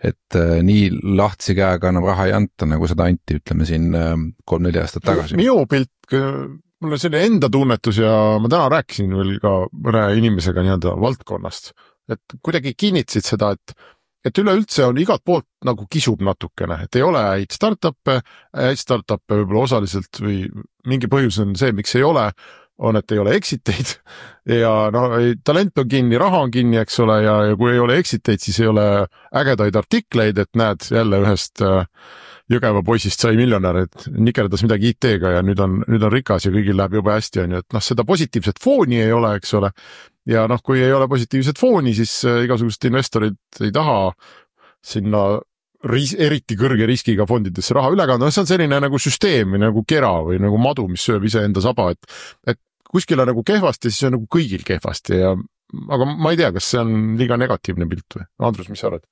et nii lahtsi käega enam raha ei anta, nagu seda anti, ütleme siin 3-4 aastat tagasi. Minu pilt, mul on selline enda tunnetus ja ma täna rääkisin veel ka mõne inimesega nii-öelda valdkonnast, et kuidagi kinnitasid seda, et üleüldse on igalt poolt nagu kisub natukene, et ei ole häid startup'e võib-olla osaliselt või mingi põhjus on see, miks ei ole, on, et ei ole exiteid ja talent on kinni, raha on kinni, eks ole, ja kui ei ole exiteid, siis ei ole ägedaid artikleid, et näed jälle ühest Jõgeva poisist sai miljonär, et nikerdas midagi IT-ga ja nüüd on rikas ja kõigil läheb jube hästi, on ju, et seda positiivset fooni ei ole, eks ole, ja kui ei ole positiivset fooni, siis igasugused investorid ei taha sinna eriti kõrge riskiga fondidesse raha üle kanda, see on selline nagu süsteem või nagu kera või nagu madu, mis sööb iseenda saba, et kuskil on nagu kehvasti, siis on nagu kõigil kehvasti aga ma ei tea, kas see on liiga negatiivne pilt või? Andrus, mis sa arvad?